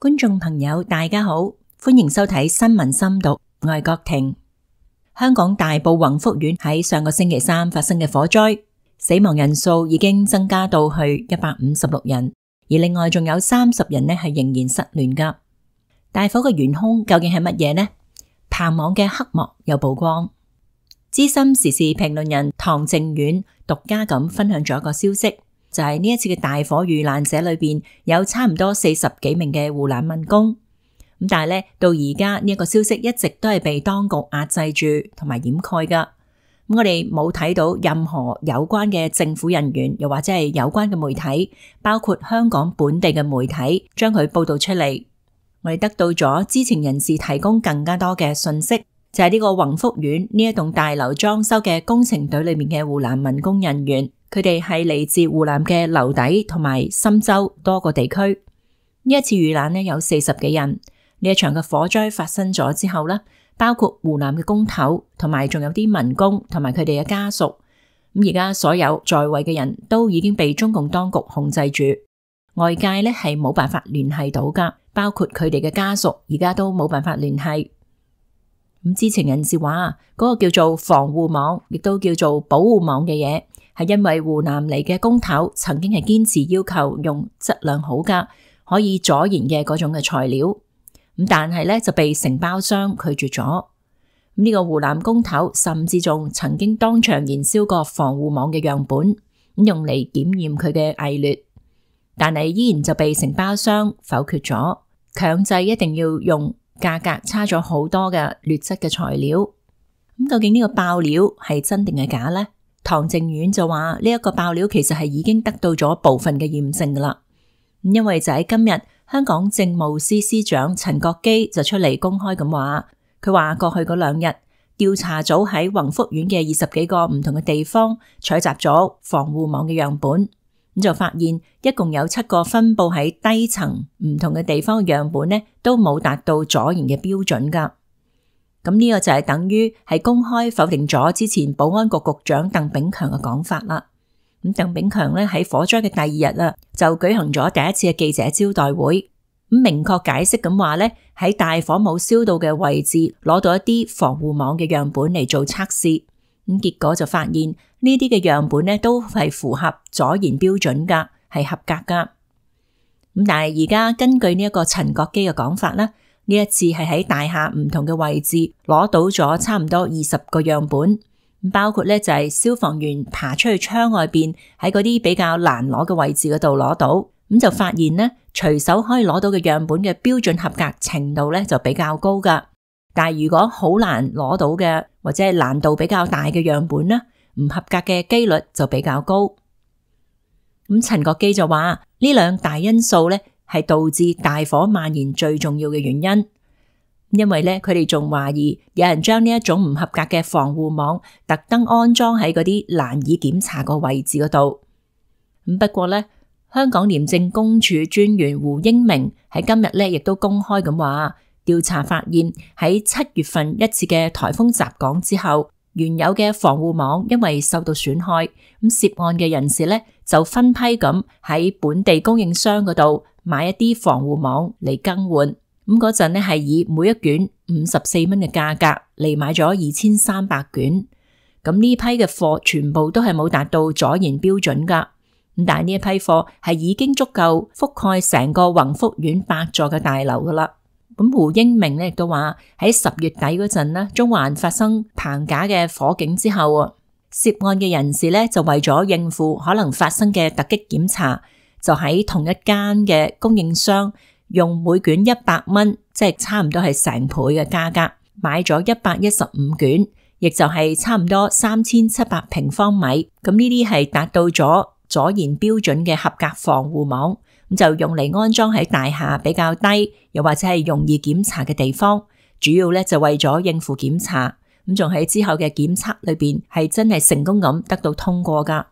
觀眾朋友大家好，歡迎收睇新聞深讀，我係郭婷。香港大埔宏福苑喺上個星期三發生嘅火災，死亡人數已經增加到去156人，而另外仲有30人呢係仍然失聯噶。大火嘅元兇究竟係乜嘢呢？棚網嘅黑幕有曝光。資深時事評論人唐靖遠獨家咁分享咗一個消息，就係呢一次嘅大火遇難者裏邊有差唔多40幾名嘅護欄民工，咁但係咧到而家呢一個消息一直都係被當局壓制住同埋掩蓋噶。咁我哋冇睇到任何有關嘅政府人員，又或者係有關嘅媒體，包括香港本地嘅媒體將佢報道出嚟。我哋得到咗知情人士提供更加多嘅信息，就係呢個宏福苑呢一棟大樓裝修嘅工程隊裏面嘅護欄民工人員。佢哋係嚟自湖南嘅樓底同埋深州多個地區。呢一次遇難呢有40幾人。呢一場嘅火災發生咗之後呢，包括湖南嘅工頭同埋仲有啲民工同埋佢哋嘅家屬。咁而家所有在位嘅人都已經被中共當局控制住，外界呢係冇辦法聯繫到噶，包括佢哋嘅家屬而家都冇辦法聯繫。咁知情人士話，嗰個叫做防護網，亦都叫做保護網嘅嘢，係因為湖南嚟嘅工頭曾經係堅持要求用質量好噶，可以阻燃嘅嗰種嘅材料，咁但係咧就被承包商拒絕咗。呢個湖南工頭甚至仲曾經當場燃燒過防護網嘅樣本，用嚟檢驗佢嘅偽劣，但係依然就被承包商否決咗，強制一定要用價格差咗好多嘅劣質嘅材料。咁究竟呢個爆料係真定係假呢？唐靖遠就話呢一個爆料其實係已經得到咗部分嘅驗證噶啦。因為就喺今日，香港政務司司長陳國基就出嚟公開咁話，佢話過去嗰2日調查組喺宏福苑嘅20幾個唔同嘅地方採集咗防護網嘅樣本，咁就發現一共有7個分布喺低層唔同嘅地方嘅樣本呢，都冇達到阻燃嘅標準噶。咁呢個就係等於係公開否定咗之前保安局局長鄧炳強嘅講法啦。咁鄧炳強咧喺火災嘅第2日啦，就舉行咗第一次嘅記者招待會，咁明確解釋咁話咧，喺大火冇燒到嘅位置攞到一啲防護網嘅樣本嚟做測試，咁結果就發現呢啲嘅樣本咧都係符合阻燃標準噶，係合格噶。咁但係而家根據呢一個陳國基嘅講法啦，呢一次係喺大廈唔同嘅位置攞到咗差唔多20個樣本，包括咧就係消防員爬出去窗外邊喺嗰啲比較難攞嘅位置嗰度攞到，咁就發現呢隨手可以攞到嘅樣本嘅標準合格程度咧就比較高噶，但係如果好難攞到嘅或者係難度比較大嘅樣本呢，唔合格嘅機率就比較高。咁陳國基就話呢2大因素咧係導致大火蔓延最重要嘅原因，因為咧佢哋仲懷疑有人將呢一種唔合格嘅防護網特登安裝喺嗰啲難以檢查個位置嗰度。咁不過咧，香港廉政公署專員胡英明喺今日咧亦都公開咁話，調查發現喺7月份一次嘅颱風襲港之後，原有嘅防護網因為受到損害，咁涉案嘅人士咧就分批咁喺本地供應商嗰度買一啲防護網嚟更換，咁嗰陣咧係以每一卷54蚊嘅價格嚟買咗2300卷，咁呢批嘅貨全部都係冇達到阻燃標準噶，咁但係呢一批貨係已經足夠覆蓋成個宏福苑8座嘅大樓噶啦。咁胡英明咧亦都話喺10月底嗰陣呢，中環發生棚架嘅火警之後，涉案嘅人士咧就為咗應付可能發生嘅突擊檢查，就喺同一間嘅供應商用每卷100蚊，即係差唔多係成倍嘅價格買咗115卷，亦就係差唔多3700平方米。咁呢啲係達到咗阻燃標準嘅合格防護網，咁就用嚟安裝喺大廈比較低又或者係容易檢查嘅地方，主要咧就為咗應付檢查，咁仲喺之後嘅檢測裏邊係真係成功咁得到通過噶。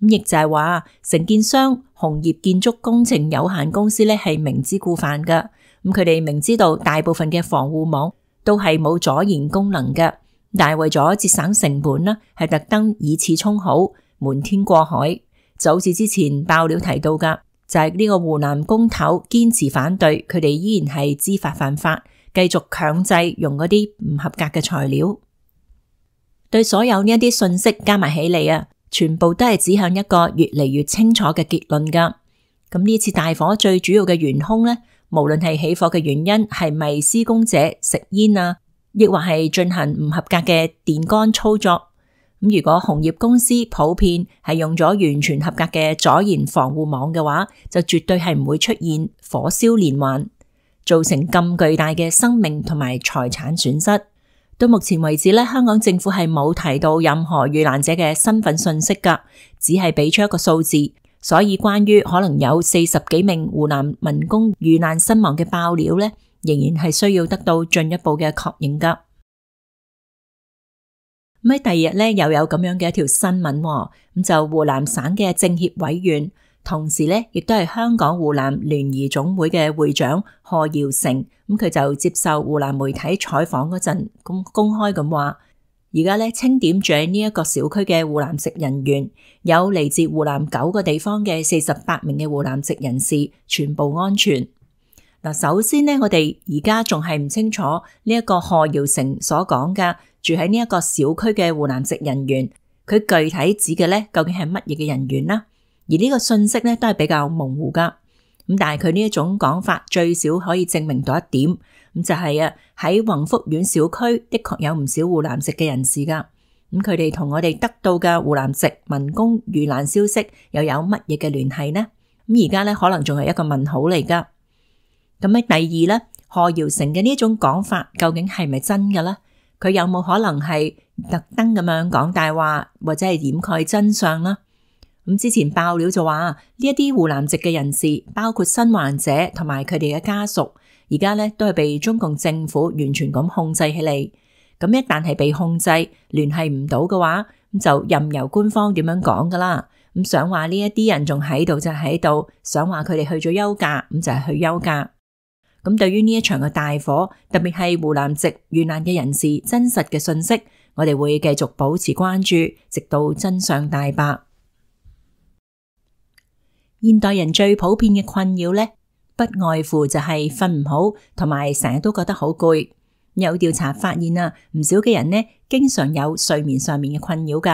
咁亦就係話承建商紅葉建築工程有限公司咧係明知故犯噶，咁佢哋明知道大部分嘅防護網都係冇阻燃功能嘅，但係為咗節省成本呢，係特登以次充好，瞞天過海，就好似之前爆料提到噶。就係呢個湖南工頭堅持反對，佢哋依然係知法犯法，繼續強制用嗰啲唔合格嘅材料。對所有呢一啲信息加埋起嚟啊，全部都係指向一個越嚟越清楚嘅結論噶。咁呢次大火最主要嘅元兇呢，無論係起火嘅原因係咪施工者食煙啊，亦或係進行唔合格嘅電桿操作。咁如果紅葉公司普遍係用咗完全合格嘅阻燃防護網嘅話，就絕對係唔會出現火燒連環，造成咁巨大嘅生命同埋財產損失。到目前為止咧，香港政府係冇提到任何遇難者嘅身份信息噶，只係俾出一個數字。所以關於可能有40幾名湖南民工遇難身亡嘅爆料咧，仍然係需要得到進一步嘅確認噶。咁喺第二日咧，又有咁樣嘅一條新聞，咁就湖南省嘅政協委員，同時咧亦都係香港湖南聯誼總會嘅會長賀耀誠，咁佢就接受湖南媒體採訪嗰陣，公開咁話，而家咧清點住喺呢一個小區嘅湖南籍人員，有嚟自湖南9個地方嘅48名嘅湖南籍人士，全部安全。嗱，首先呢，我哋而家仲係唔清楚呢一個賀耀誠所講嘅住喺呢一個小區嘅湖南籍人員，佢具體指嘅咧究竟係乜嘢嘅人員啦？而呢個信息咧都係比較模糊噶。咁但係佢呢一種講法最少可以證明到一點，咁就係喺宏福苑小區的確有唔少湖南籍嘅人士噶。咁佢哋同我哋得到嘅湖南籍民工遇難消息又有乜嘢嘅聯繫呢？咁而家咧可能仲係一個問號嚟噶。咁喺第二咧，賀耀誠嘅呢一種講法究竟係咪真嘅咧？佢有冇可能係特登咁樣講大話，或者係掩蓋真相呢？咁之前爆料就話呢一啲湖南籍嘅人士，包括生還者同埋佢哋嘅家屬，而家咧都係被中共政府完全咁控制起嚟。咁一旦係被控制，聯繫唔到嘅話，咁就任由官方點樣講噶啦。咁想話呢一啲人仲喺度就喺度，想話佢哋去咗休假，咁就係去休假。咁對於呢一場嘅大火，特別係湖南籍遇難嘅人士真實嘅信息，我哋會繼續保持關注，直到真相大白。現代人最普遍嘅困擾呢，不外乎就係瞓唔好，同埋成日都覺得好攰。有調查發現唔少嘅人呢，經常有睡眠上面嘅困擾噶。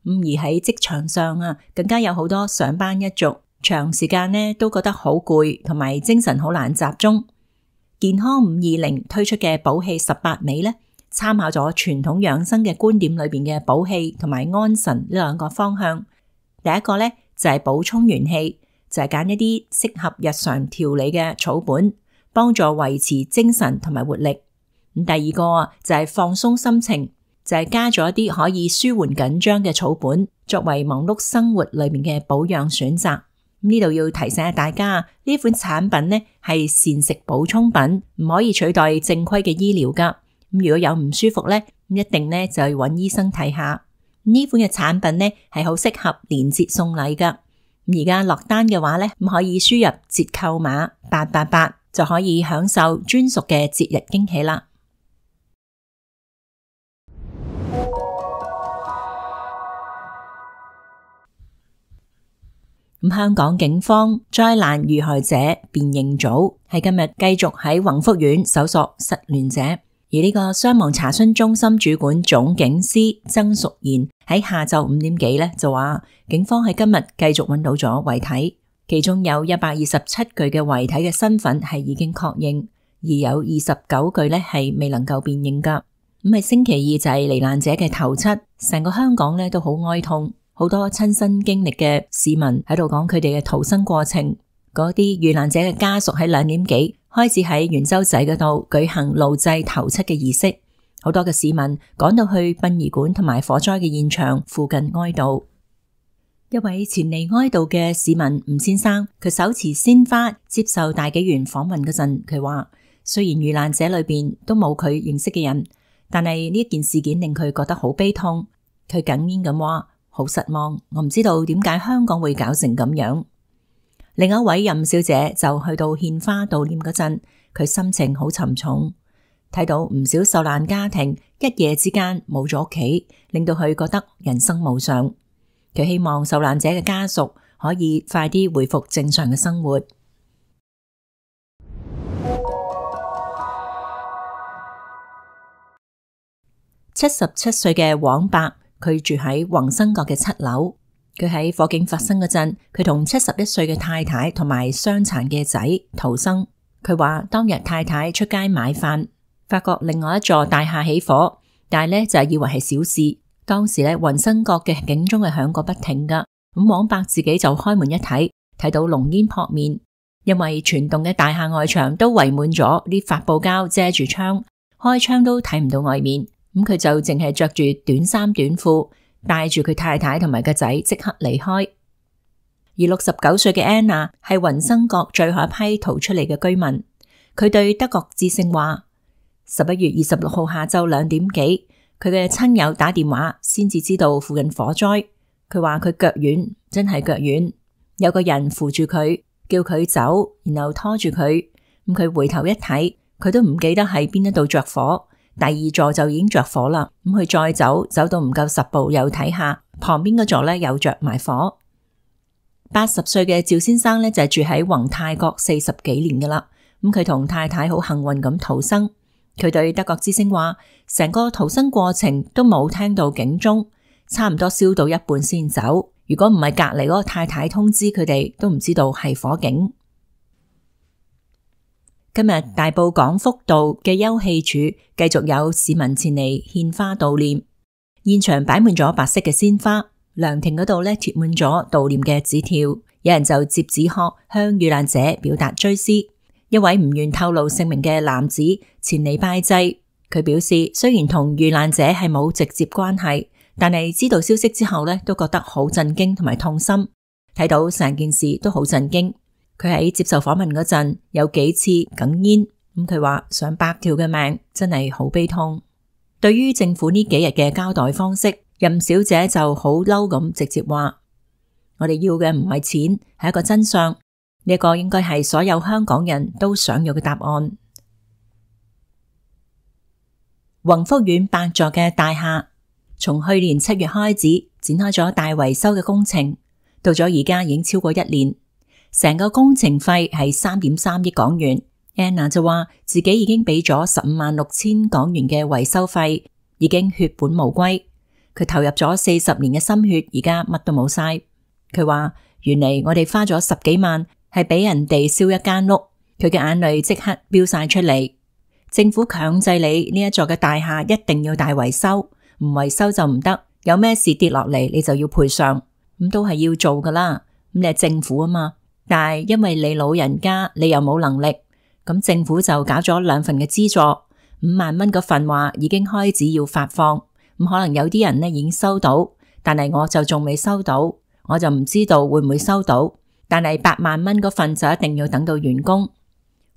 而喺職場上更加有好多上班一族，長時間呢都覺得好攰，同埋精神好難集中。健康520推出嘅補氣18味呢，參考咗傳統養生嘅觀點裏邊嘅補氣同埋安神呢兩個方向。第一個呢，就係補充元氣，就係揀一啲適合日常調理嘅草本，幫助維持精神同埋活力。咁第二個就係放鬆心情，就係加咗一啲可以舒緩緊張嘅草本，作為忙碌生活裏面嘅保養選擇。呢度要提醒下大家，呢款產品呢係膳食補充品，唔可以取代正規嘅醫療噶。咁如果有唔舒服呢，一定呢就要揾醫生睇下。呢款嘅產品呢係好適合連節送禮噶。而家落單嘅話呢，可以輸入折扣碼888，就可以享受專屬嘅節日驚喜啦。香港警方災難遇害者辨認組係今日繼續喺宏福苑搜索失聯者，而呢個傷亡查詢中心主管總警司曾淑賢喺下晝5點幾就話，警方喺今日繼續揾到咗遺體，其中有127具嘅遺體嘅身份係已經確認，而有29具係未能夠辨認噶。咁係星期二就係罹難者嘅頭七，成個香港都好哀痛。好多親身經歷嘅市民喺度講佢哋嘅逃生過程，嗰啲遇難者嘅家屬喺2點幾開始喺元洲仔嗰度舉行路祭頭七嘅儀式，好多嘅市民趕到去殯儀館同埋火災嘅現場附近哀悼。一位前嚟哀悼嘅市民吳先生，佢手持鮮花接受大紀元訪問嗰陣，佢話雖然遇難者裏邊都冇佢認識嘅人，但係呢件事件令佢覺得好悲痛。佢哽咽咁話，好失望，我唔知道點解香港會搞成咁樣。另一位任小姐就去到獻花悼念嗰陣，佢心情好沉重，睇到唔少受難家庭一夜之間冇咗屋企，令到佢覺得人生無常。佢希望受難者嘅家屬可以快啲回復正常嘅生活。77歲嘅黃伯，佢住喺宏生閣嘅7樓。佢喺火警發生嗰陣，佢同71歲嘅太太同埋傷殘嘅仔逃生。佢話當日太太出街買飯，發覺另外一座大廈起火，但係呢就以為係小事。當時呢宏生閣嘅警鐘係響個不停噶。咁黃伯自己就開門一睇，睇到濃煙撲面，因為全棟嘅大廈外牆都圍滿咗啲發泡膠遮住窗，開窗都睇唔到外面。咁佢就淨係着住短衫短褲，帶住佢太太同埋個仔即刻離開。而69歲嘅 Anna 係宏生閣最後一批逃出嚟嘅居民。佢對德國之聲話，11月26號下晝2點幾，佢嘅親友打電話先至知道附近火災。佢話佢腳軟，真係腳軟，有個人扶住佢，叫佢走，然後拖住佢。咁佢回頭一睇，佢都唔記得喺邊一度着火。第二座就已經着火啦。咁佢再走到唔夠10步，又睇下旁邊嗰座呢又着埋火。80歲嘅趙先生呢就係住喺宏泰閣40幾年噶啦。咁佢同太太好幸運咁逃生。佢對德國之聲話，成個逃生過程都冇聽到警鐘，差唔多燒到一半先走。如果唔係隔籬嗰個太太通知佢哋，都唔知道係火警。今日大埔廣福道嘅休憩處繼續有市民前嚟獻花悼念，現場擺滿咗白色嘅鮮花，涼亭嗰度呢貼滿咗悼念嘅紙條，有人就折紙鶴向遇難者表達追思。一位唔願透露姓名嘅男子前嚟拜祭，佢表示雖然同遇難者係冇直接關係，但係知道消息之後呢都覺得好震驚同埋痛心，睇到成件事都好震驚。佢喺接受訪問嗰陣有幾次哽咽，咁佢話上百條嘅命真係好悲痛。對於政府呢幾日嘅交代方式，任小姐就好嬲咁直接話，我哋要嘅唔係錢，係一個真相，呢個應該係所有香港人都想要嘅答案。宏福苑8座嘅大廈從去年7月開始展開咗大維修嘅工程，到咗而家已經超過1年。成個工程費係3.3億港元。Anna 就話自己已經俾咗156000港元嘅維修費，已經血本無歸。佢投入咗40年嘅心血，而家乜都冇晒。佢話原嚟我哋花咗10幾萬係俾人哋燒一間屋，佢嘅眼淚即刻飆晒出嚟。政府強制你呢一座嘅大廈一定要大維修，唔維修就唔得，有咩事跌落嚟你就要賠償，咁都係要做噶啦。咁你係政府啊嘛。但係因為你老人家你又冇能力，咁政府就搞咗2份嘅資助，5萬蚊嗰份話已經開始要發放，咁可能有啲人呢已經收到，但係我就仲未收到，我就唔知道會唔會收到。但係8萬蚊嗰份就一定要等到完工。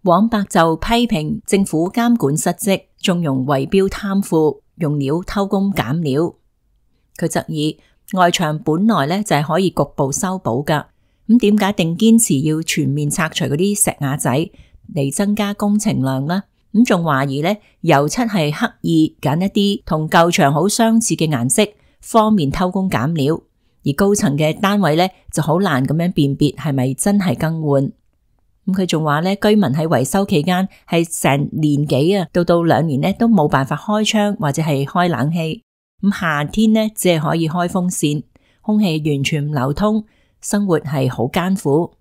黃伯就批評政府監管失職，縱容圍標貪腐，用料偷工減料。佢質疑外牆本來呢就係可以局部修補噶。咁點解定堅持要全面拆除嗰啲石瓦仔嚟增加工程量呢？咁仲懷疑呢油漆係刻意揀一啲同舊牆好相似嘅顏色，方便偷工減料。而高層嘅單位呢就好難咁樣辨別係咪真係更換。咁佢仲話呢，居民喺維修期間係成年幾啊，到2年呢都冇辦法開窗或者係開冷氣。咁夏天呢只係可以開風扇，空氣完全唔流通。生活係好艱苦。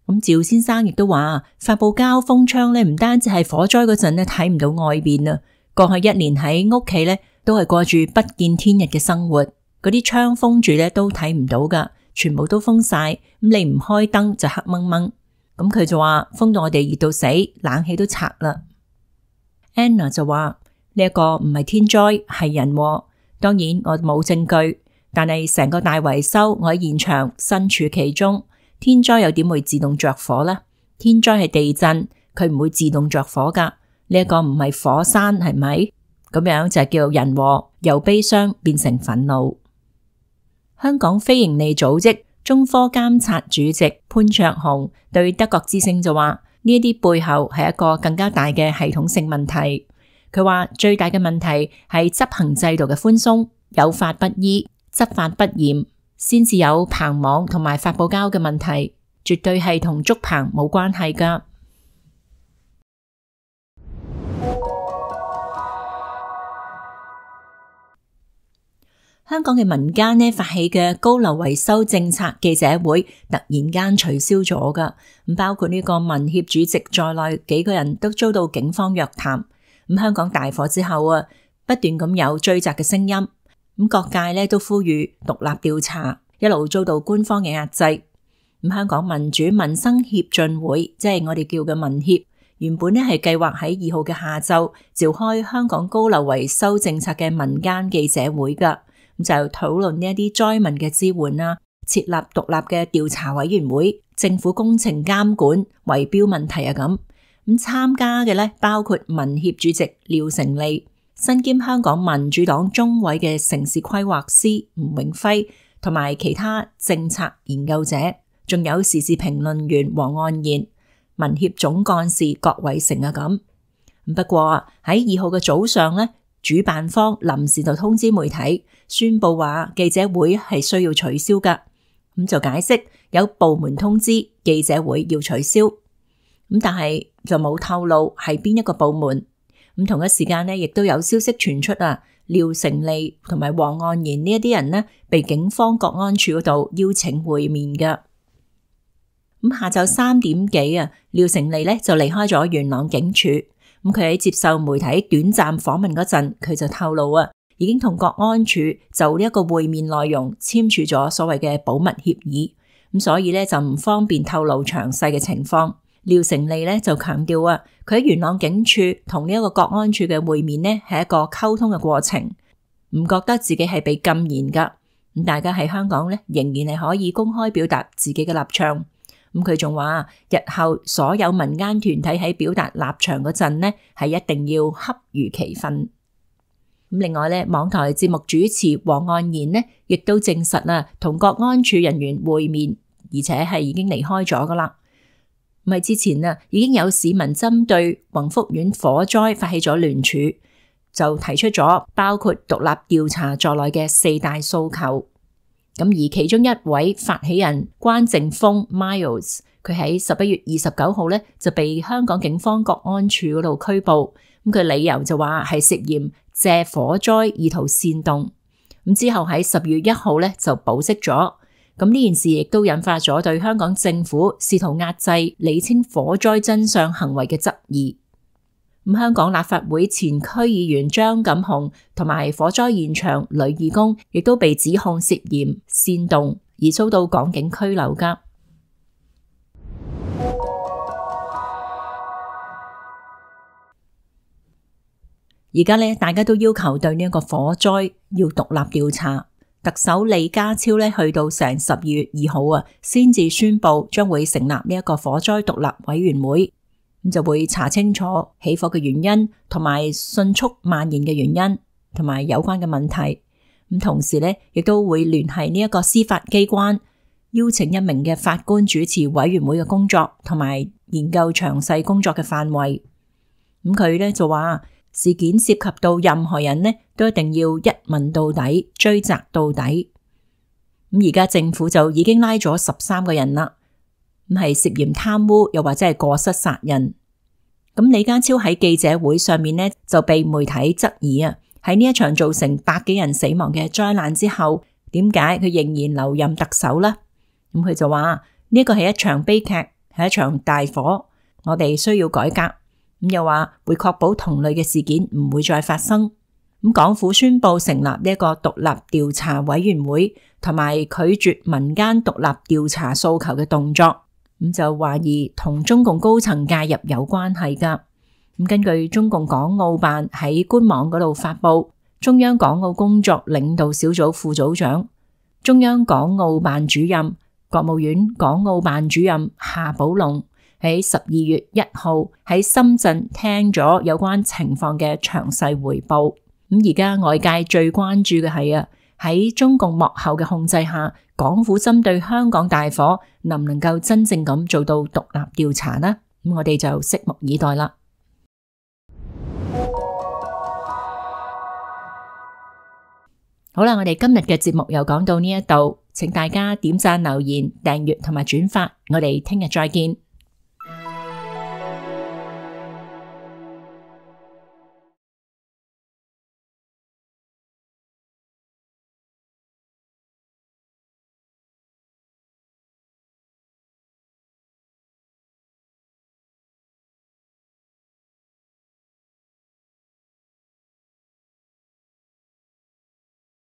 咁趙先生亦都話，發泡膠封窗呢唔單止係火災嗰陣呢睇唔到外邊啊，過去1年喺屋企呢都係過住不見天日嘅生活，嗰啲窗封住呢都睇唔到噶，全部都封晒。咁你唔開燈就黑掹掹。咁佢就話封到我哋熱到死，冷氣都拆啦。Anna 就話呢一個唔係天災係人禍，當然我冇證據。但係成個大維修，我喺現場身處其中，天災又點會自動着火呢？天災係地震，佢唔會自動着火噶。呢一個唔係火山，係咪？咁樣就係叫人禍，由悲傷變成憤怒。香港非營利組織中科監察主席潘焯鴻對德國之聲就話：呢一啲背後係一個更加大嘅系統性問題。佢話最大嘅問題係執行制度嘅寬鬆，有法不依。執法不嚴，先至有棚網同埋發泡膠嘅問題，絕對係同竹棚冇關係㗎。香港嘅民間呢發起嘅高樓維修政策記者會突然間取消咗㗎，咁包括呢個民協主席在內幾個人都遭到警方約談。咁香港大火之後啊，不斷咁有追責嘅聲音，咁各界呢都呼籲獨立調查，一路遭到官方嘅壓制。咁香港民主民生協進會，即係我哋叫嘅民協，原本呢係計劃喺2號嘅下晝召開香港高樓維修政策嘅民間記者會㗎。咁就討論呢一啲災民嘅支援啊，設立獨立嘅調查委員會，政府工程監管、圍標問題啊咁。咁參加嘅咧包括民協主席廖成利、身兼香港民主黨中委嘅城市規劃師吳永輝，同埋其他政策研究者，仲有時事評論員黃岸然、民協總幹事郭偉成啊咁。不過喺2號嘅早上咧，主辦方臨時就通知媒體，宣布話記者會係需要取消㗎。咁就解釋有部門通知記者會要取消，咁但係就冇透露係邊一個部門。咁同一時間呢，亦都有消息傳出啊，廖成利同埋黃岸然呢一啲人呢，被警方國安處嗰度邀請會面㗎。咁下晝3點幾啊，廖成利呢就離開咗元朗警署。咁佢喺接受媒體短暫訪問嗰陣，佢就透露啊，已經同國安處就呢一個會面內容簽署咗所謂嘅保密協議，咁所以咧就唔方便透露詳細嘅情況。廖成利咧就強調啊，佢喺元朗警署同呢一個國安處嘅會面呢係一個溝通嘅過程，唔覺得自己係被禁言噶。咁大家喺香港咧仍然係可以公開表達自己嘅立場。咁佢仲話，日後所有民間團體喺表達立場嗰陣呢，係一定要恰如其分。咁另外咧，網台節目主持黃岸然呢，亦都證實啦，同國安處人員會面，而且係已經離開咗噶啦。咁喺之前啊，已經有市民針對宏福苑火災發起咗聯署，就提出咗包括獨立調查在內嘅4大訴求。咁而其中一位發起人關正峰 Miles， 佢喺11月29號咧就被香港警方國安處嗰度拘捕。咁佢理由就話係涉嫌借火災意圖煽動。咁之後喺10月1號咧就保釋咗。咁呢件事亦都引發咗對香港政府試圖壓制釐清火災真相行為嘅質疑。咁香港立法會前區議員張錦雄同埋火災現場女義工亦都被指控涉嫌煽動而遭到港警拘留㗎。而家咧，大家都要求對呢一個火災要獨立調查。特首李家超咧去到成12月2號啊，先至宣布將會成立呢一個火災獨立委員會。咁就會查清楚起火嘅原因，同埋迅速蔓延嘅原因，同埋有關嘅問題。咁同時咧，亦都會聯繫呢一個司法機關，邀請1名嘅法官主持委員會嘅工作，同埋研究詳細工作嘅範圍。咁佢咧就話，事件涉及到任何人呢，都一定要一問到底，追責到底。咁而家政府就已經拉咗13個人啦。咁係涉嫌貪污，又或者係過失殺人。咁李家超喺記者會上面呢，就被媒體質疑啊，喺呢一場造成100幾人死亡嘅災難之後，點解佢仍然留任特首呢？咁佢就話呢個係一場悲劇，係一場大火，我哋需要改革。咁又話會確保同類嘅事件唔會再發生。咁港府宣布成立呢一個獨立調查委員會，同埋拒絕民間獨立調查訴求嘅動作。咁就懷疑同中共高層介入有關係噶。咁根據中共港澳辦喺官網嗰度發布，中央港澳工作領導小組副組長、中央港澳辦主任、國務院港澳辦主任夏寶龍喺12月1號喺深圳聽咗有關情況嘅詳細匯報。咁而家外界最關注嘅係喺中共幕後嘅控制下，港府針對香港大火能唔能夠真正咁做到獨立調查呢？咁我哋就拭目以待啦。好啦，我哋今日嘅節目又講到呢一度，請大家點讚、留言、訂閱同埋轉發，我哋聽日再見。